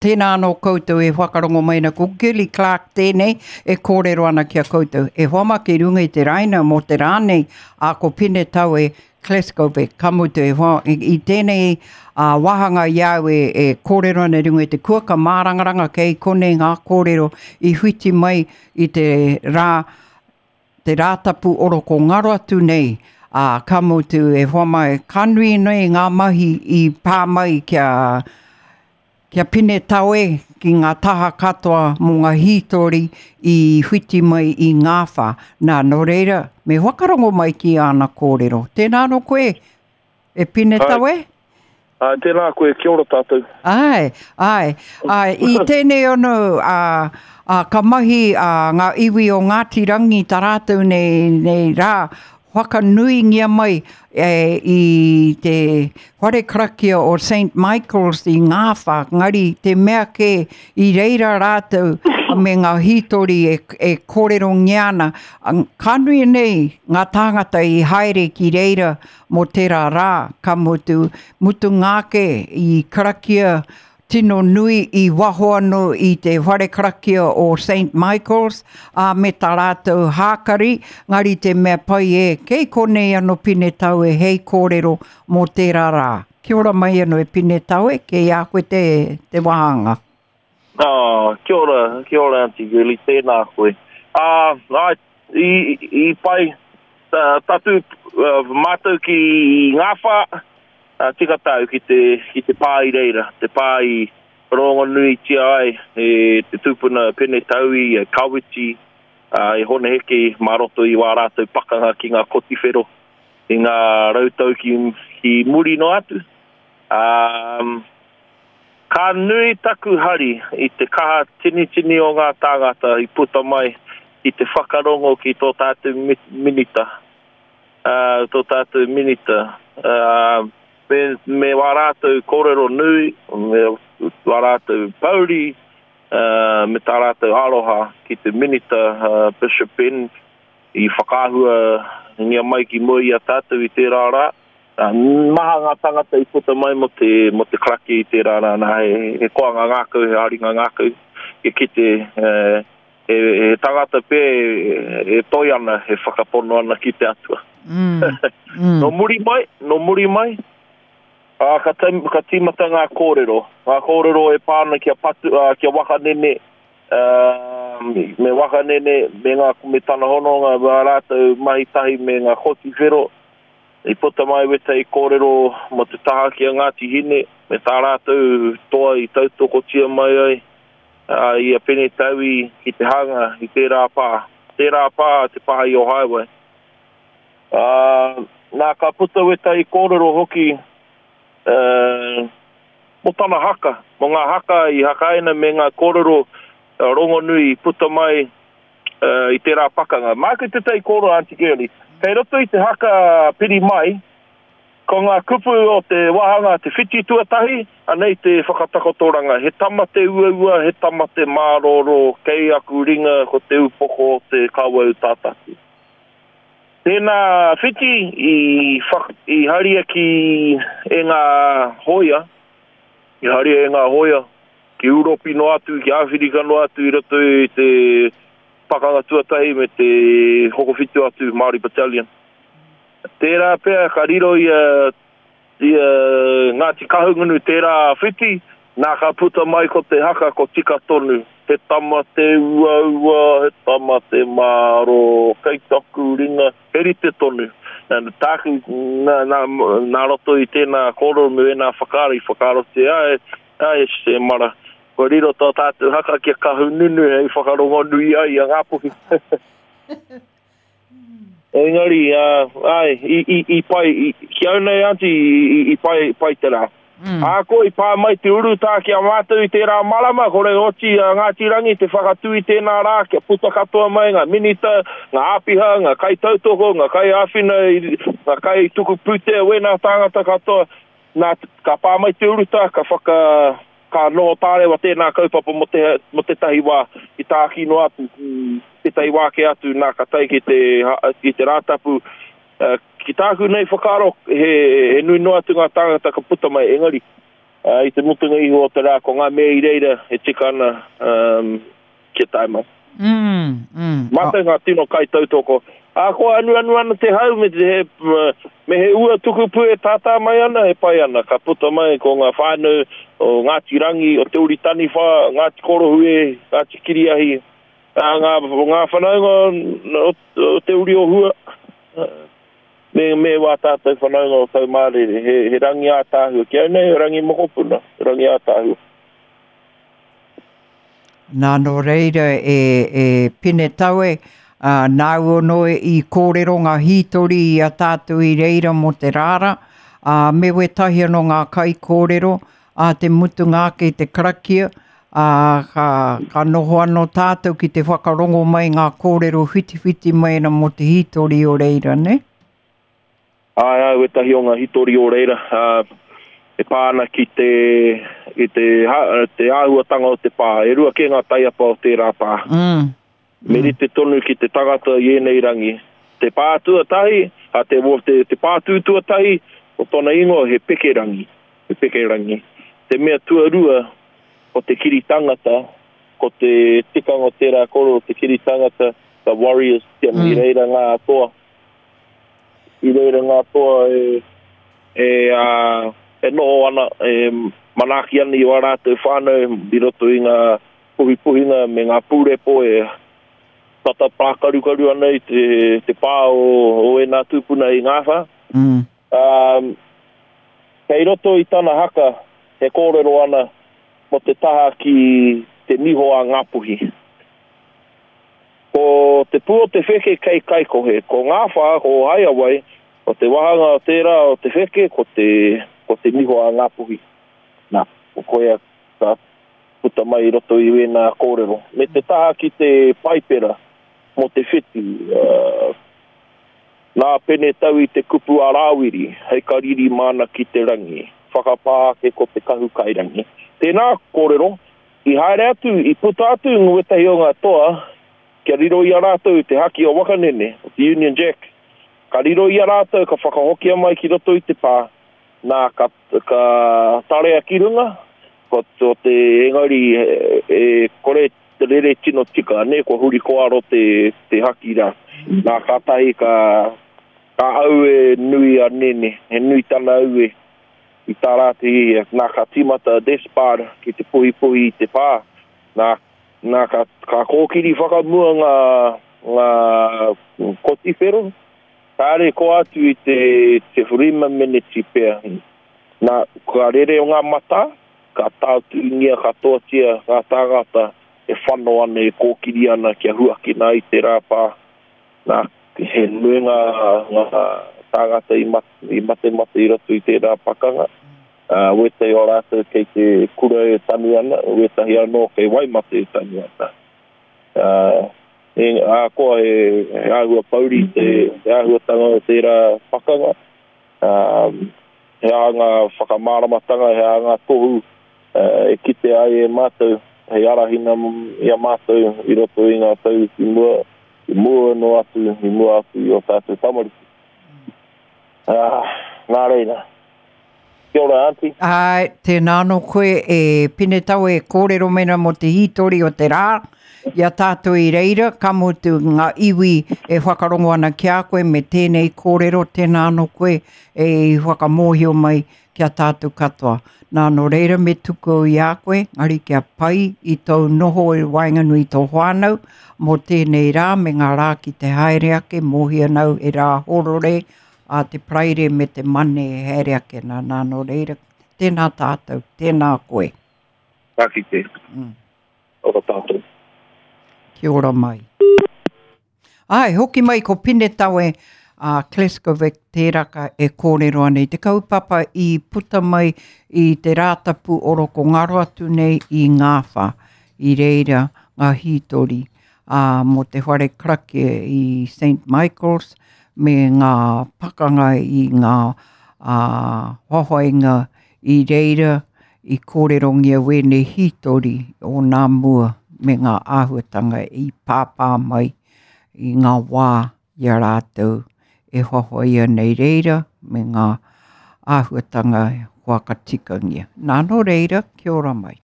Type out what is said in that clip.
Tēnā anō koutou e whakarongo mai ana, ko Girlie Clarke tēnei e kōrero ana ki a koutou. E hoa ma ki runga i te raina mō te rā nei, a ko Pine Tawe Kleskovic, ka mutu e hoa, i, i tēnei a, wāhanga i a au e, e kōrero ana i runga i te kuaka mārangaranga kei konei ngā kōrero i whiti mai i te rā te Rātapu oroko ngaro atu nei, ā, ka mutu e hoa mai, ka nui nei ngā mahi i pā mai kia, kia pine tawe ki ngā taha katoa mō ngā hītori i whiti mai i Ngāwhā. Nā, nō reira, me whakarongo mai ki āna kōrero. Tēnā anō koe, E Pine Tawe? Āe, tēnā koe, kia ora tātou. Āe, āe, āe, i tēnei ono, ā, ā, ka mahi ā, ngā iwi o Ngāti Rangi tā rātou nei, nei rā, whakanuingia mai e, i te whare karakia o St Michael's i Ngāwhā, ngari te mea kē i reira rātou me ngā hītori e, e kōrerongia ana, ka nui nei ngā tāngata i haere ki reira mō tērā rā, ka mutu, mutunga ake i karakia tino nui i waho anō i te whare karakia o St Michael's, ā, me tā rātou hākari, ngari te mea pai e, kei konei anō Pine Taue hei kōrero mō tērā rā. Kia ora mai anō e Pine Taue, kei a koe te, te wāhanga. Ah, kia ora, kia ora Aunty Girlie, tēnā koe. Ah, ai, i, i pai, tatū uh, mātou ki Ngāwhā, uh, tika tāu ki te, ki te pā i reira, te pā i rongonuitia ai e te tūpuna Pene Taui, e Kawiti, uh, e Hone Heke mā roto i wā rātou pakanga ki ngā kotiwhero i ngā rautau ki, ki muri noa atu. Um, Ka nui taku hari i te kaha tinitini o ngā tāngata i puta mai ki te whakarongo ki tō tātou minita, tō tātou minita, me, me wā rātou kōrero nui, me wā rātou pouri, me tā rātou aroha ki te minita Bishop Ben i whakaahuangia mai ki mua i a tātou i tērā rā. Maha ngā tangata i puta mai mō te, mō te karakia i tērā rā, nā, he, he koanga ngākau, he haringa ngākau, kia kite he, he, he tangata pē e toi ana, e whakapono ana ki te Atua. Mm, mm. Nō muri mai, nō muri mai, ā, ka, ka tīmata ngā kōrero, ngā kōrero e pā ana ki a Patu, ā, ki a Wakanene, ā, me Wakanene, me, ngā, me tana hononga, me ā rātou mahi tahi me ngā koti whero, I puta mai wētahi kōrero mō te taha ki a Ngāti Hine me tā rātou toa i tautokotia mai ai i a Pene Taui ki te hanga i tērā pā. Tērā pā te pā i Ohaewae. Ā, nā ka puta wētahi kōrero hoki mō tana haka, mō ngā haka i hakaina me ngā kōrero rongonui i puta mai i tērā pakanga. Māku tētahi kōrero, Aunty Girlie. Kei roto i te haka piri mai, ko ngā kupu o te wāhanga te whiti tuatahi, anei te whakatakotoranga, he tama te uaua, he tama te mārōrō, kei aku ringa ko te upoko o te kawau tātaki. Tēnā whiti i, i haria ki e ngā hōia, i haria e ngā hōia, ki Ūropi noa atu, ki Āwhirika noa atu i roto i te Pakanga Tuatahi me te Hokowhitu atu, Māori Battalion. Tērā pea ka riro i a, i a Ngāti Kahungunu tērā whiti, nā ka puta mai ko te haka ko Tika Tonu, he tama te uaua, he tama te mārō, kei taku ringa, he rite tonu. Nā, tāku, nā, nā, nā roto i tēnā kōrero me wēnā whakaaro i whakaarotia ai, Āe, e mara. Kua riro tō tātou haka ki a Kahungunu hei whakarongonui ai i a Ngāpuhi. Engari, āe, i, i, i pai, i, ki au nei, Aunty, i, i, i pai, pai te rā. Mm. Ā, ko i pā mai te urutā ki a mātou i tērā marama, kore oti a Ngāti Rangi te whakatū i tēnā rā, kia puta katoa mai ngā minita, ngā āpiha, ngā kaitautoko, ngā kaiāwhina, ngā kaituku pūtea, wēnā tāngata katoa, Nā, ka pā mai te urutā, ka whaka, ka noho tārewa tēnā kaupapa mō te, mō tētahi wā, i tāki noa atu ki tētahi wā kē atu, nā, ka tae ki te, ki te Rātapu. Ki tāku nei whakaaro, he, he nui noa atu ngā tāngata ka puta mai, engari, Ā, i te mutunga iho o te rā, ko ngā mea i reira e tika ana kia tae mai. Mm, mm. Mātou ngā tino kaitautoko. Ahakoa anuanu ana te hau me te, he, me he ua tukupū e tātā mai ana, e pai ana. Ka puta mai ko ngā whānau o Ngāti Rangi, o Te Uri Taniwha, Ngāti Korohue, Ngāti Kiriahi, ā, ngā, ngā whanaunga o, o Te Uri o Hua. Me, me wā tātou whanaunga o Taumārere, he, he rangi ātaahua. Ki au nei, he rangi mokopuna, he rangi ātaahua. Nā, nō reira e, e Pinetawe, ā, nāu anō i kōrero ngā hītori i a tātou i reira mō te rāra, ā, me wētahi anō ngā kaikōrero, ā te mutunga ake i te karakia, ā, ka, ka noho anō tātou ki te whakarongo mai ngā kōrero whitiwhiti mai ana mō te hītori o reira, nē? Āe, āe, wētahi o ngā hītori o reira, ā, e pā ana ki te, ki te, te āhuatanga o te pā. E rua kē ngā taiapa o tērā pā. Mm. Me rite tonu ki te tangata i ēnei rangi. Te pā tuatahi, a te, te, te pātū tuatahi, ko tōna ingoa he pekerangi, he pekerangi. Te mea tuarua, ko te kiri tangata, ko te tikanga o tērā koro, te kiri tangata, the warriors, kia mm. i reira ngā toa. I reira ngā toa e, e, a, e noho ana, e manaaki ana i wā rātou whānau i roto i ngā puhipuhinga me ngā pūrepo e tata pākarukaru ana i te, te pā o, o ēnā tūpuna i Ngāwhā. Mm. Um, kei roto i tana haka he kōrero ana mō te taha ki te niho a Ngāpuhi. Ko te pū o te wheke kei Kaikohe, ko Ngāwhā, ko Haeawai, ko te wahanga o tērā o te wheke, ko te, ko te niho a Ngāpuhi. Nā, ko koia ka puta mai i roto i wēnā kōrero. Me te taha ki te Paipera mō te whetū, nā Pene Tau i te kupu a Rāwiri hei kariri māna ki te rangi, whakapā ake ko te kahu kairangi. Tēnā kōrero, i haere atu, i puta atu ngētahi o ngā toa kia riro i a rātou te haki o Wakanene, o te Union Jack. Ka riro i a rātou ka whakahokia mai ki roto i te pā, nā ka ka tarea ki runga, ko to te engari e kore te rere tino tika, nē, kua huri kōaro te, te haki rā. Nā, kātahi ka, ka aue nui a Nene, he nui tana aue i tā rā te hihia. Nā, ka tīmata a Despard ki te puhipuhi i te pā. Nā, nā ka, ka kōkiri whakamua ngā, ngā kotiwhero, Kāre koa atu i te te rima meneti pea. Nā, ka rere ngā matā, ka tāutuingia katoatia ngā tāngata e whano ana, e kōkiri ana kia huakina ai te rāpā. Nā, he nui ngā, ngā tāngata i mate, i matemate i roto i tērā pakanga. Ā, wētahi o rātou kei te kura e tanu ana, wētahi anō kei Waimate e tanu ana. Ā, ahakoa he āhua pouri te āhuatanga o tērā pakanga, he aha ngā whakamāramatanga, he aha ngā tohu e kitea ai e mātou hei arahina i a mātou i roto i ngā tau ki mua, i mua noa atu, i mua atu i ō tātou tamariki. Ā, nā reira. Kia ora, Aunty. Āe, tēnā anō koe e Pinetawe e kōrero mai ana mō te hītori o te rā i a tātou i reira, ka mutu ngā iwi e whakarongo ana ki a koe me tēnei kōrero, tēnā anō koe e whakamōhio mai ki a tātou katoa. Nā, nō reira me tuku au i a koe, engari kia pai i tōu noho i waenganui i tō whānau mō tēnei rā me ngā rā ki te haere ake, mōhio ana au he rā horore a te Paraire me te Mane e haere ake ana, nā, nō reira, tēnā tātou, tēnā koe. Ka kite. Mm. Ora tātou. Kia ora mai. Ai, hoki mai ko Pinetawe a Kleskovic tēraka e kōrero ana i te kaupapa i puta mai i te Rātapu oroko ngaro atu nei i Ngāwhā, i reira ngā hītori ā, mō te whare karakia i St Michael's me ngā pakanga i ngā ā, hoahoainga i reira i kōrerongia wēnei hītori o nā mua me ngā āhuatanga i pāpā mai i ngā wā i a rātou e hoahoa ana i reira me ngā āhuatanga. whakatikangia. Nā, nō reira, kia ora mai.